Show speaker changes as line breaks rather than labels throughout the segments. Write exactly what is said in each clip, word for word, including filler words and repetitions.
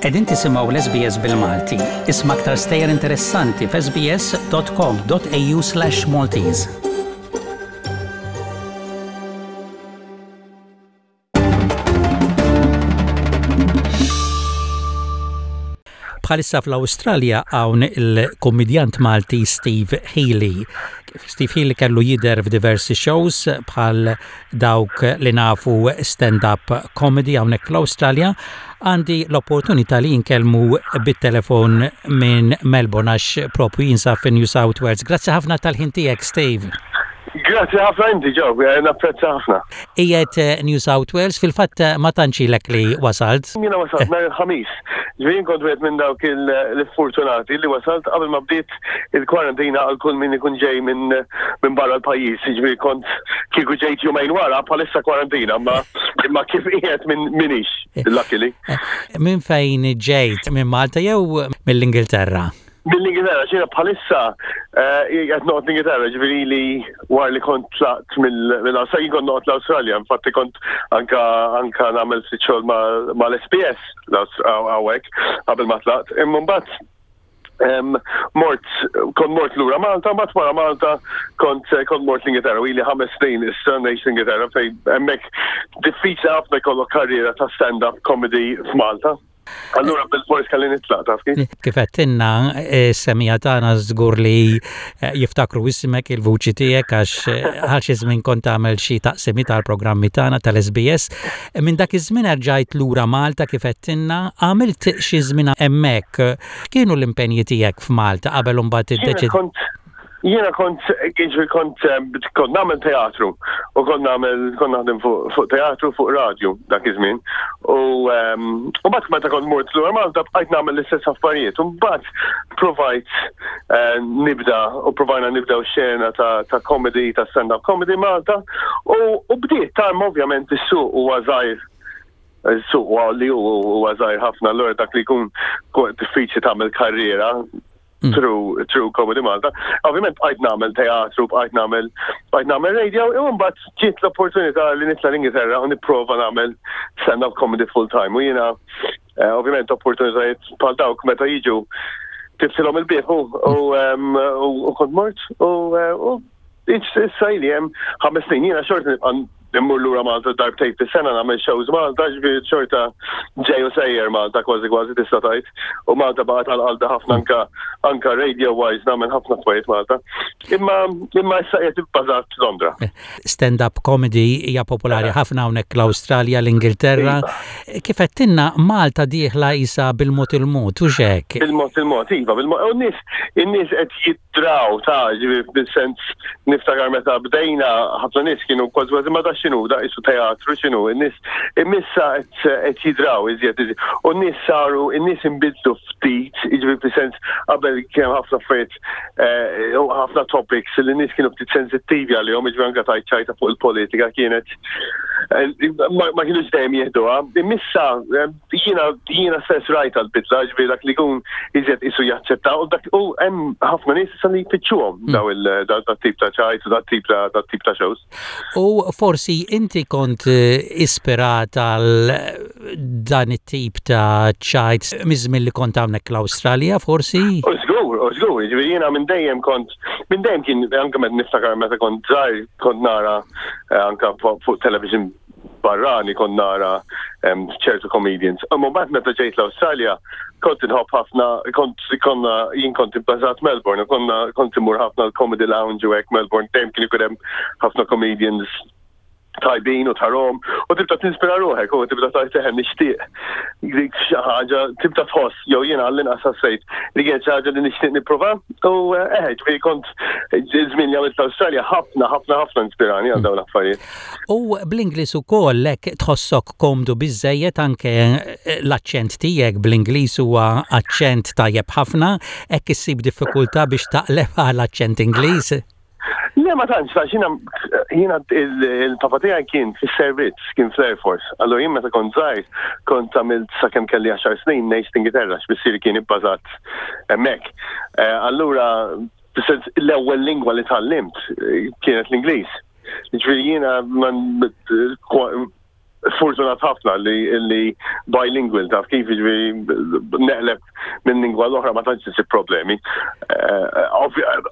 Qegħdin tisimgħu l-S B S bil-Malti. Isma' aktar stejjer interessanti f'S B S dot com dot A U slash Maltese. Bħalissa fl-Awstralja hawn il-kommedjant Malti Steve Healy. Steve Healy kellu jidher f'diversi shows bħal dawk li nafu, stand-up comedy, hawnhekk fl-Awstralja. Għandi l-opportunità li nkellmu bit-telefon minn Melbourne għax propju jinsab fi New South Wales. Grazzi ħafna tal-ħin tiegħek, Steve.
Grazzi ħafna inti, Joe, eh, napprezza ħafna.
Qiegħed eh, New South Wales, fil-fatt eh, ma tantx ilek li wasalt.
Jiena wasalt nhar il-Ħamis. Ġifieri kont wieħed minn dawk il-fortunati li wasalt qabel ma bdiet il-kwarantina għal kull min ikun ġej minn minn barra l-pajjiż. Ġifieri kont kieku ġejt jumejn wara bħalissa kwarantina, ma imma kif qiegħed minn minix, luckily.
Minn fejn ġejt, minn Malta jew mill-Ingilterra?
Mill-Ingilterra, jiena bħalissa qed noqgħod l-Ingilterra, ġifieri li wara li kont tlaqt mill-Awstralja, jien kont noqgħod l-Awstralja, infatti kont anka anka nagħmel ftit xogħol mal-S B S hawnhekk qabel ma tlaqt. Imma mbagħad mort, kont mort lura Malta, mbagħad wara Malta kont kont mort l-Ingilterra, u ili ħames snin issa ngħix l-Ingilterra, fejn hemmhekk diffiċli ħafna jkollok karriera ta' stand-up comedy f'Malta. Allura bil-fors kelli nitlaq, taf kif?
Kif għedtilna, semmiegħa tagħna żgur li eh, jiftakru ismek, il-vuċi tiegħek, għax eh, għal xi żmien kont tagħmel xi taqsimi tal-programmi tagħna tal-S B S. Minn dak iż-żmien erġajt lura Malta, kif għedtilna, għamilt xi żmien hemmhekk. Kienu l-impenji tiegħek f'Malta qabel imbagħad iddeċid?
Jiena kont, ġifieri kont, kont nagħmel teatru u kont nagħmel, kont naħdem fuq teatru, fuq radio dak iż-żmien. U u mbagħad meta kont mort lura Malta bqajt nagħmel l-istess affarijiet. U mbagħad provajt eh, nibda u provajna nibdew xena ta' ta' comedy, ta' stand-up comedy Malta u u bdiet tarm. Ovvjament is-suq huwa żgħir, is-suq huwa li huwa żgħir ħafna, allura dak li jkun diffiċli tagħmel karriera mm. through through Comedy Malta. Ovvjament bqajt nagħmel teatru, bqajt nagħmel bqajt nagħmel radio, u mbagħad ġiet l-opportunità li nitla' l-Ingilterra u nipprova nagħmel stand-up comedy full time. U jiena eh, ovvjament opportunitajiet bħal dawk meta jiġu tiftħilhom il-bieb u kont mort u eh, issa ili hemm ħames snin. Jiena xorta nibqa' immur lura Malta darbtejn fis-sena nagħmel shows Malta, ġifieri xorta ġej u sejjer Malta kważi kważi, tista' tgħid. U Malta baqgħet għal qalbi ħafna, anka anka radio wise nagħmel ħafna affarijiet Malta. Imma imma issa qiegħed ibbażat Londra.
Stand-up comedy hija popolari ħafna hawnhekk l-Awstralja, l-Ingilterra. Iva. Kif għedtilna, Malta dieħla isa bil-mod il-mod, u hekk?
Bil-mod il-mod, iva, bil-mod. U n-nies in-nies qed jidraw ta' ġifieri bil-sens niftakar meta bdejna, ħafna nies kienu kważi kważi ma da x'inhu, da qisu teatru, x'inhu, in-nies imissa qed jidraw iżjed. U n-nies saru, in-nies inbidlu ftit, jiġifieri fis-sens qabel kien ħafna affarijiet eh, u ħafna topics li n-nies kienu ftit sensittivi għalihom, jiġifieri anke tajt ċajta fuq il-politika kienet eh, ma kienux dejjem jieħduha. Imissa eh, jiena jiena stess rajt għal-bidla, ġifieri dak li jkun iżjed isu jaċċetta u dak u hemm ħafna nies issa li jfittxuhom mm. daw il-tip ta' ċajt u dat tip ta' tip ta' shows.
U forsi inti kont eh, ispirat għal dan it-tip ta' ċajt miż-żmien li kont hawnhekk l-Awstralja, forsi?
U żgur, u żgur, ġifieri jiena minn dejjem kont, minn dejjem kien anke meta niftakar meta kont żgħir kont nara eh, anke fuq television barrani kont nara ċertu comedians. Imma mbagħad meta ġejt l-Awstralja kont inħobb ħafna, kont konna jien kont ibbażat Melbourne u konna kont imur ħafna l-Comedy Lounge u hekk Melbourne, dejjem kien ikun hemm ħafna comedians tajbin u tarahom u tibda tinspira ruħek u tibda tgħid, "Eħe, nixtieq dik xi ħaġa." Tibda tħoss, jew jiena għall-inqas ħassejt li kienet xi ħaġa li nixtieq nipprova u eh, eħe, ġifieri kont iż-żmien li għamilt l-Awstralja ħafna ħafna ħafna inspirani għal dawn l-affarijiet.
U bl-Ingliż ukoll hekk tħossok komdu biżejjed, anke l-aċċent tiegħek bl-Ingliż huwa aċċent tajjeb ħafna, hekk issib diffikultà biex taqleb għal aċċent Ingliż?
Le, ma tantx, għax jiena jiena il-papa tiegħi kien fis-servizz, kien fl-Air Force. Allura jien meta kont żgħir kont għamilt sakemm kelli għaxar snin ngħix l-Ingilterra, x'missieri kien ibbażat hemmhekk. Eh, allura l-ewwel lingwa li tgħallimt eh, kienet l-Ingliż. Ġifieri jiena Fortunat ħafna li li bilingual, taf kif, jiġifieri neqleb minn lingwa l-oħra ma tantx isib problemi. Eh,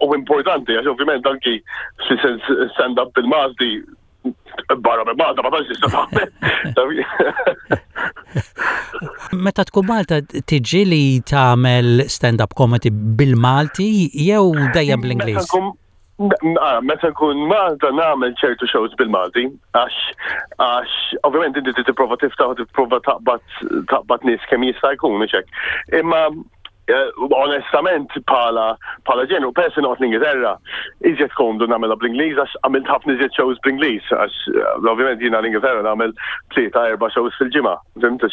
u importanti għax ovvjament anki stand-up bil-Malti barra minn Malta ma tantx tista' tagħmel.
Meta tkun Malta, tiġi li tagħmel stand-up comedy bil-Malti jew dejjem bl-Ingliż?
Ah, meta nkun Malta nagħmel ċertu shows bil-Malti, għax għax ovvjament inti tipprova tiftaħ u tipprova taqbad taqbad nies kemm jista' jkun, mhux hekk. Imma eh, onestament bħala bħala ġenu, peress noqgħod l-Ingilterra, iżjed komdu nagħmilha bl-Ingliż għax għamilt ħafna iżjed shows bl-Ingliż, għax eh, ovvjament jiena l-Ingilterra nagħmel tlieta, erba' shows fil-ġimgħa. Fhimt,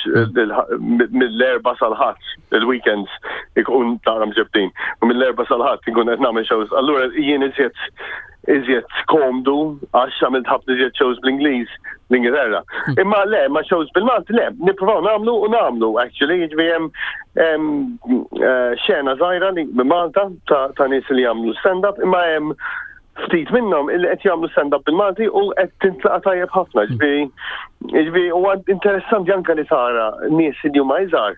mill-Erbgħa sal-Ħadd, il-weekends ikun tara mġebtin. U mill-Erbgħa sal-Ħadd ikun qed nagħmel shows. Allura jien iżjed iżjed komdu għax għamilt ħafna iżjed shows bl-Ingliż l-Ingilterra. Imma le, ma shows bil-Malti le, nippruvaw nagħmlu u nagħmlu actually, jiġifieri hemm hemm eh, xena żgħira li minn Malta ta' ta' nies li jagħmlu stand-up, imma hemm ftit minnhom illi qed jagħmlu stand-up bil-Malti u qed tintlaqa tajjeb ħafna. Ġifieri jiġifieri huwa interessanti anke li tara nies li huma iżgħar,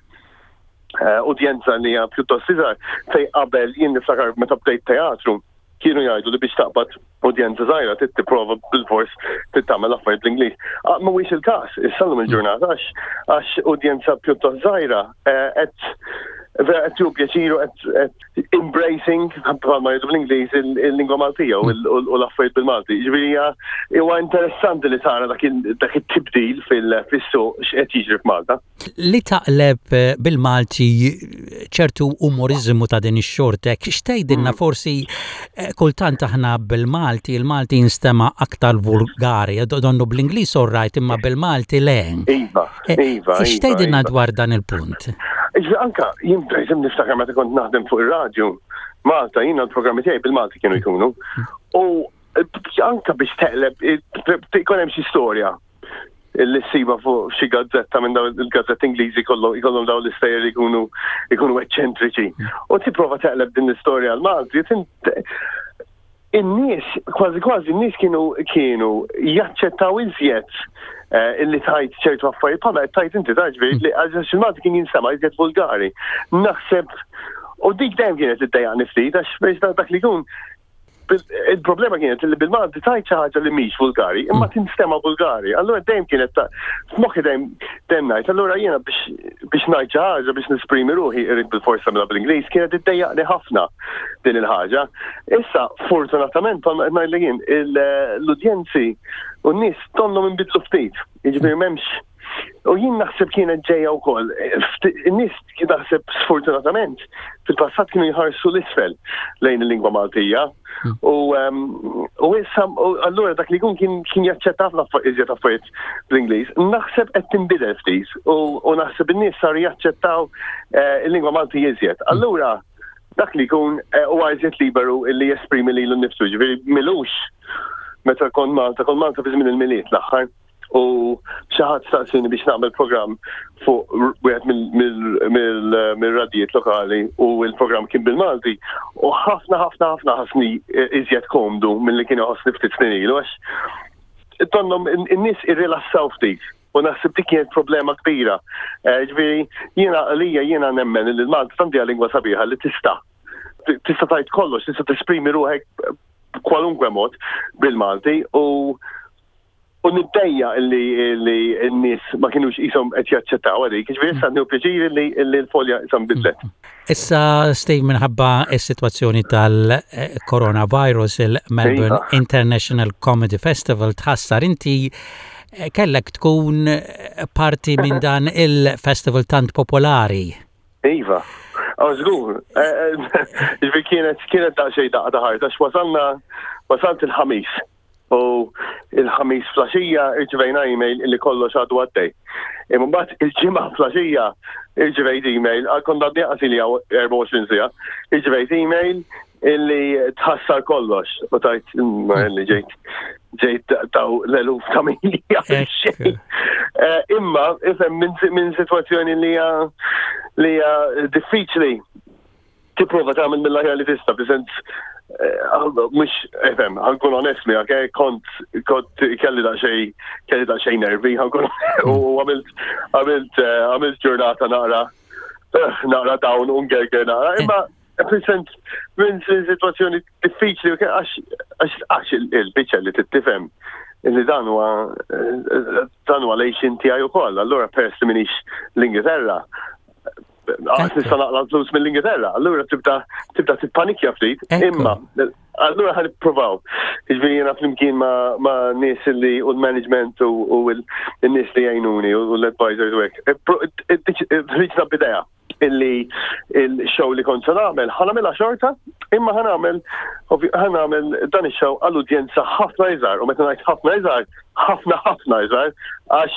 eh, udjenza li hija pjuttost iżgħar, fej qabel jien niftakar meta bdejt teatru kienu jgħidu li biex taqbad udjenza żgħira trid tipprova bil-fors trid tagħmel affarijiet bl-Ingliż. Ah, mhuwiex il-każ, issa llum il-ġurnata għax għax udjenza pjuttost żgħira eh, qed vera qed tieħu pjaċir u qed embracing, bħalma jgħidu bl-Ingliż, il-lingwa Maltija u l-affarijiet bil-Malti. Ġifieri huwa interessanti li tara dak it-tibdil fil-suq x'qed jiġri f'Malta.
Li taqleb eh, bil-Malti ċertu umorizmu ta' din ix-xortek, x'tgħidilna mm. forsi eh, kultant aħna bil-Malti, il-Malti jinstema' aktar vulgari, donnu bl-Ingliż orrajt imma bil-Malti le.
Iva, eh, iva.
X'tgħidilna dwar dan il-punt?
Anka, jien per niftakar meta kont naħdem fuq ir-radju, Malta, jiena l-programmi tiegħi bil-Malti kienu jkunu. U anka biex teqleb, ikun hemm xi storja li ssiba fuq xi gazzetta minn dawn il-gazzetti Ingliżi, jkollhom dawn l-istejjer li jkunu jkunu eċċentriċi. U tipprova teqleb din l-istorja għal Malti, in-nies, kważi kważi n-nies kienu kienu jaċċettaw iżjed eh, illi tajt ċertu affarijiet bħala tajt inti taġbi li għax il-Malti kien jinstema' iżjed vulgari. Naħseb u dik dejjem kienet iddejjaqni ftit għax biex dak li jkun il-problema kienet li bil-Malti tajt xi ħaġa li mhix vulgari, imma mm. tinstema vulgari. Allura dejjem kienet ta' f'moħħi, dejjem dejjem ngħid, allura jiena biex biex ngħid xi ħaġa, biex nesprimi ruħi, irrid bil-forsa mela bl-Ingliż. Kienet iddejjaqni ħafna din il-ħaġa. Issa fortunatament, bħalma qed ngħidlek jien, l-udjenzi u n-nies donnhom inbidlu ftit. Jiġifieri m'hemmx. U jien naħseb kienet ġejja wkoll. In-nies naħseb sfortunatament fil-passat kienu jħarsu l-isfel lejn il-lingwa Maltija. Hmm. U u issa allura dak li jkun kien kien jaċċetta ħafna iżjed affarijiet bl-Ingliż. Naħseb qed tinbidel ftit u naħseb in-nies saru jaċċettaw eh, il-lingwa Malti iżjed. Hmm. Allura dak li jkun eh, huwa iżjed liberu illi jesprimi lilu nnifsu. Ġifieri m'ilux meta kont Malta, kont Malta fi żmien il-Milied l-aħħar, u xi ħadd staqsini biex nagħmel programm fuq wieħed mill-radijiet lokali u il-programm kien bil-Malti u ħafna ħafna ħafna ħassni iżjed komdu milli kien iħossni ftit snin ilu għax donnhom in-nies irrilassaw ftit u naħseb dik kienet problema kbira. Eh, ġifieri jiena għalija jiena nemmen li l-Malti tant hija lingwa sabiħa li tista' tista' tajt kollox, tista' tesprimi ruħek kwalunkwe mod bil-Malti u U niddejjaq illi li n-nies ma kienux qishom qed jaċċettaw għalik, ġifieri issa nieħu pjaċir li l-folja issa nbidlet.
Issa, Steve, minħabba is-sitwazzjoni tal-coronavirus, il-Melbourne iva. International Comedy Festival tħassar. Inti eh, kellek tkun parti minn dan il-festival tant popolari.
Iva. Oh, żgur. Eh, eh, ġifieri kienet kienet daqsxejn daqqa ta' ħarta għax wasalna wasalt il-Ħamis. U il-Ħamis filgħaxija irċivejna email li kollox għadu għaddej. Imma mbagħad il-Ġimgħa filgħaxija irċivejt email, għal konna għadni li erbgħa u għoxrin siegħa, irċivejt email illi tħassar kollox. U tajt li ġejt ġejt taw l-eluf ta' mili. Eh, imma, ifhem, minn sitwazzjoni li hija li hija diffiċli tipprova tagħmel mill-aħjar li tista', fis-sens Mhux, ifhem, ħa nkun onest miegħek, kont kont kelli daqsxejn kelli daqsxejn nervi, ħa nkun u għamilt għamilt għamilt ġurnata naqra naqra down u ngerger naqra, imma fil-sens minn situazzjoni diffiċli għax għax il-biċċa li tifhem li dan huwa dan huwa l-għajxien tiegħi ukoll, allura peress li m'iniex l-Ingilterra, għax nista' naqla' flus mill-Ingilterra, allura tibda tibda tippanikja ftit, imma allura ħa nippruvaw. Jiġifieri jiena flimkien ma' nies li u l-management u l-nies li jgħinuni u l-advisors u hekk. Ħriġna b'idea illi il-show li kont se nagħmel ħa nagħmilha xorta, imma ħa nagħmel ħa nagħmel dan ix-show għall-udjenza ħafna iżgħar u meta ngħid ħafna iżgħar, ħafna ħafna iżgħar, għax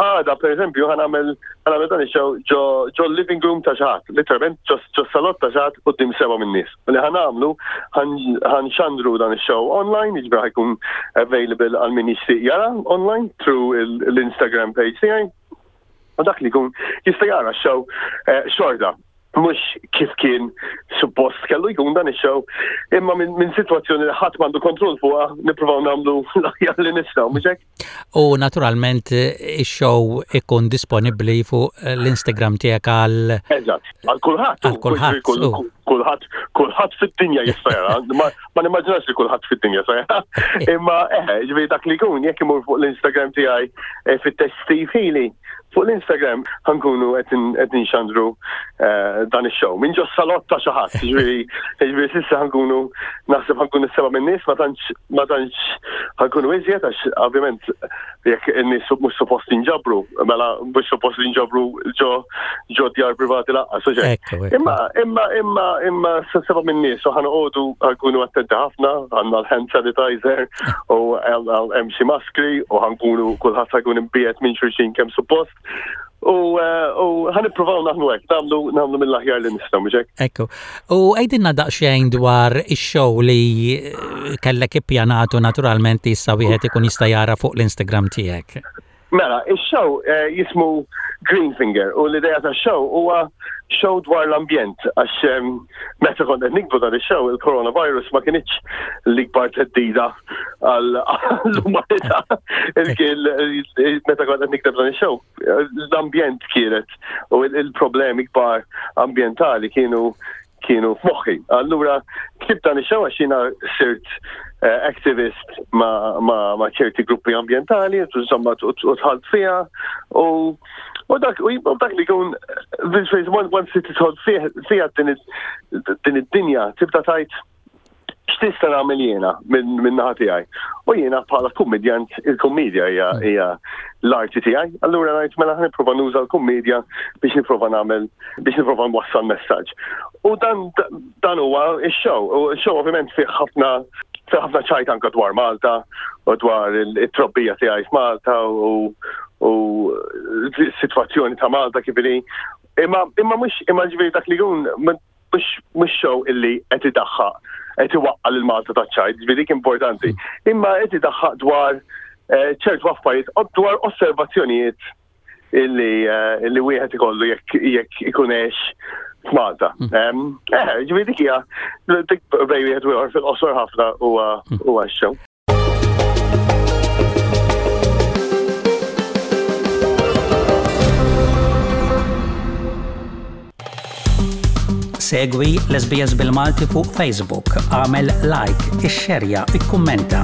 għada pereżempju ħa nagħmel ħa nagħmel dan ix-show ġo ġo living room ta' xi ħadd, literalment ġo salott ta' xi ħadd quddiem seba' min-nies. Li ħa nagħmlu ħa nxandru dan ix-show online, jiġifieri ħa jkun available għal min jixtieq jara online through l-Instagram page tiegħi. U dak li jkun jista' jara x-show xorta, mhux kif kien suppost kellu jkun dan ix-show, imma minn sitwazzjoni li ħadd m'għandu kontroll fuqha nippruvaw nagħmlu l-aħjar li nistgħu, mhux hekk?
U naturalment ix-show ikun disponibbli fuq l-Instagram tiegħek għal
Eżatt, għal kulħadd.
Għal kulħadd.
Kulħadd, kulħadd fid-dinja jista' jara, ma nimmaġinax li kulħadd fid-dinja jista' jara. Imma eħe, ġifieri dak li jkun jekk imur fuq l-Instagram tiegħi fit-test Steve Healy, fuq l-Instagram ħa nkunu qed nxandru dan ix-show. Minn ġo salott ta' xi ħadd, jiġifieri jiġifieri s'issa ħa nkunu naħseb ħa nkunu seba' min-nies, ma tantx ma tantx ħa nkunu iżjed għax ovvjament jekk in-nies mhux suppost jinġabru, mela mhux suppost jinġabru ġo ġo djar privati lanqas, u
Ekku, ekku.
Imma imma imma imma seba' min-nies u ħa noqogħdu ħa nkunu attenti ħafna, għandna l-hand sanitizer u hemm xi maskri u ħa nkunu kulħadd ħa jkun imbiegħed minn xulxin kemm suppost. U ħa nippruvaw naħdmu hekk, nagħmlu nagħmlu mill-aħjar li nistgħu, mhux hekk?
Ekku. U għidilna daqsxejn dwar ix-show li kellek ippjanatu naturalment issa wieħed ikun jista' jara fuq l-Instagram tiegħek.
Mela, ix-show jismu Green Finger u l-idea tax-show huwa show dwar l-ambjent għax meta kont qed niktbu dan ix-show il-coronavirus ma kinitx l-ikbar theddida għall-umanità. Meta kont qed nikteb dan ix-show, l-ambjent kienet u il-problemi kbar ambjentali kienu kienu f'moħħi. Allura ktibt dan ix-show għax jiena sirt activist ma, ma, ma ċerti gruppi ambjentali, insomma, u dħalt fiha u u dak u dak li jkun once tidħol fiha din id-dinja tibda tgħid x'tista' nagħmel jiena minn naħa tiegħi. U jiena bħala kummedjant, il-kummedja hija hija l-arti tiegħi. Allura ngħid mela ħa nipprova nuża l-kummedja biex nipprova nagħmel biex nipprova nwassal messaġġ. U dan dan huwa x-show. U x-show ovvjament fih ħafna fih ħafna ċajt anke dwar Malta u dwar it-trobbija tiegħi f'Malta u u s-sitwazzjoni ta' Malta kif inhi. Imma imma mhux imma ġifieri dak li jkun mhux mhux show illi qed idaħħaq qed iwaqqa' lil Malta taċ-ċajt, ġifieri dik importanti. Imma qed idaħħaq dwar ċertu affarijiet dwar osservazzjonijiet illi illi wieħed ikollu jekk jekk ikun għex f'Malta. Eh, ġifieri dik hija dik bejn wieħed u ieħor fil-qosor ħafna huwa huwa x-show.
Segwi l-S B S bil-Malti fuq Facebook, għamel like, ixxerja, ikkummenta.